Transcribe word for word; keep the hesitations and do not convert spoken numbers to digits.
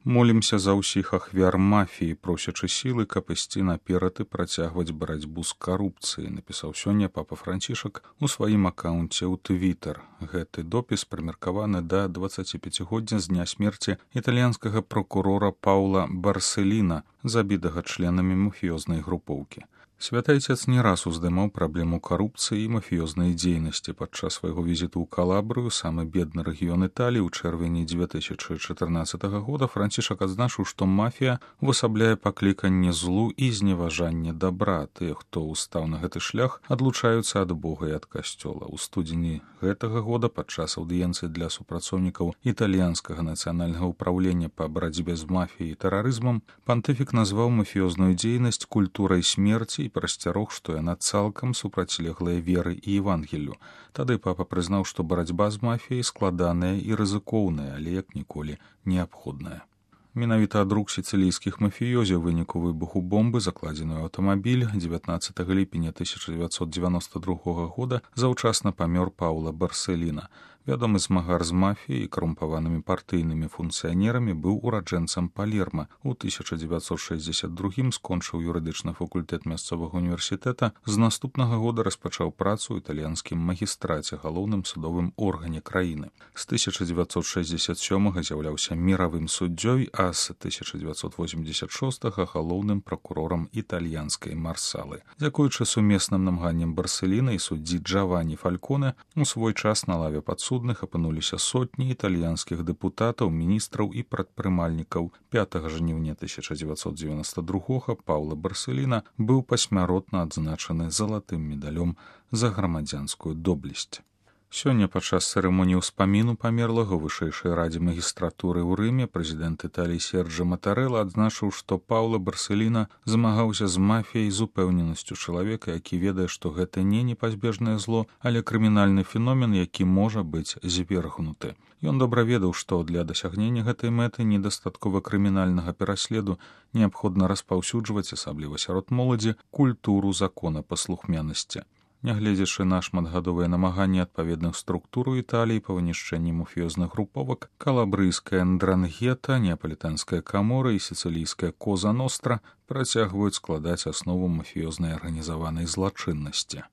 Молімся за ўсіх ахвяр мафіі, просячы сілы, каб ісці наперад і працягваць барацьбу з карупцыяй, напісаў сёння папа Францішак у сваім акаунце ў Твітер. Гэты допіс прымеркаваны да дваццаціпяцігоддзя з дня смерці італьянскага прокурора Паула Барселіна, забітага членамі мафіёзнай групоўкі. Святы Айцец не раз уздымаў праблему карупцыі і мафіёзнай дзейнасці. Падчас свайго візіту ў Калабрыю, самы бедны рэгіён Італіі, у чэрвені дзве тысячы чатырнаццатага года Францішак адзначыў, што мафія увасабляе пакліканне злу і зневажанне дабра. Тыя, хто ўстаў на гэты шлях, адлучаюцца ад Бога і ад касцёла. У студзені гэтага года падчас аўдыенцыі для супрацоўнікаў італьянскага нацыянальнага ўпраўлення па барацьбе з мафіяй і тэрарызмам пантыфік назваў мафіёзную дзейнасць культурай смерці і прасцярог, што яна цалкам супрацьлеглая веры і Евангеллю. Тады папа прызнаў, што барацьба з мафіяй складаная і рызыкоўная, але як ніколі неабходная. Менавіта ад рук сіцылійскіх мафіёзаў выніку выбуху бомбы, закладзеную ў аўтамабіль, дзевятнаццатага ліпеня тысяча дзевяцьсот дзевяноста другога года заўчасна памёр Паула Барселіна. Вядомы змагар з мафіяй і карумпаванымі партыйнымі функцыянерамі, быў ураджэнцам Палерма. У тысяча дзевяцьсот шэсцьдзесят другім скончыў юрыдычны факультэт мясцовага універсітэта. З наступнага года распачаў працу ў італьянскім магістраце, галоўным судовым органе краіны. З тысяча дзевяцьсот шэсцьдесят сёмага з'яўляўся міравым суддзёй, а з тысяча дзевяцьсот восемьдесят шостага галоўным пракурорам італьянскай Марсалы. Дзякуючы сумесным намаганням Барселіна і суддзі Джавані Фальконе, у свой час на лаве падсудных апынуліся сотні італьянскіх дэпутатаў, міністраў і прадпрымальнікаў. пятага жніўня тысяча дзевяцьсот дзевяноста другога Паула Барселіна быў пасмяротна адзначаны залатым медалём за грамадзянскую доблесць. Сёння падчас цырымоніі ўспаміну памерлага ў вышэйшай радзе магістратуры ў Рыме прэзідэнт Італіі Серджа Матарэла адзначыў, што Паула Барселіна змагаўся з мафіяй з упэўненасцю чалавека, які ведае, што гэта не непазбежнае зло, але крымінальны феномен, які можа быць звергнуты. Ён добра ведаў, што для дасягнення гэтай мэты недастаткова крымінальнага пераследу неабходна распаўсюджваць, асабліва сярод моладзі, культуру законапаслухмянасці. Нягледзячы на шматгадовыя намаганні адпаведных структур у Італіі па вынішчэнні мафіёзных груповак, калабрыйская Ндрангета, неапалітанская камора і сіцылійская Коза Ностра працягваюць складаць аснову мафіёзнай арганізаванай злачыннасці.